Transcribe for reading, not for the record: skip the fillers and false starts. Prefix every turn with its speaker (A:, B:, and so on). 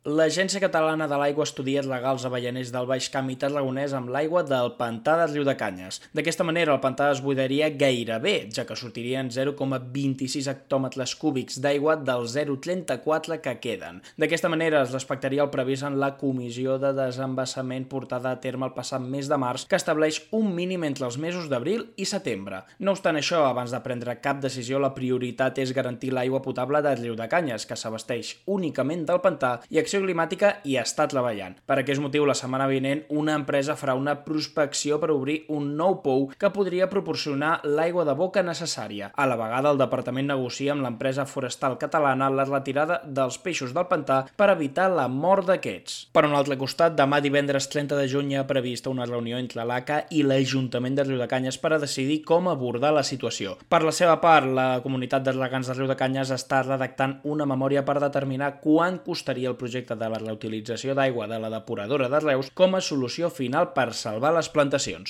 A: L'Agència Catalana de l'Aigua estudia els legals avellaners del Baix Camp i Tarragonès amb l'aigua del pantà de Riudecanyes. D'aquesta manera, el pantà es buidaria gairebé, ja que sortirien 0,26 hectòmetres cúbics d'aigua dels 0,34 que queden. D'aquesta manera, es respectaria el previst en la Comissió de Desembassament portada a terme el passat mes de març, que estableix un mínim entre els mesos d'abril i setembre. No obstant això, abans de prendre cap decisió, la prioritat és garantir l'aigua potable de Riudecanyes, que s'abasteix únicament del pantà, i Acció Climàtica hi està treballant. Per aquest motiu, la setmana vinent, una empresa farà una prospecció per obrir un nou pou que podria proporcionar l'aigua de boca necessària. A la vegada, el departament negocia amb l'empresa forestal catalana la retirada dels peixos del pantà per evitar la mort d'aquests. Per un altre costat, demà divendres 30 de juny hi ha prevista una reunió entre l'ACA i l'Ajuntament de Riudecanyes per a decidir com abordar la situació. Per la seva part, la comunitat de regants de Riudecanyes està redactant una memòria per determinar quant costaria el projecte de la reutilització d'aigua de la depuradora de Reus com a solució final per salvar les plantacions.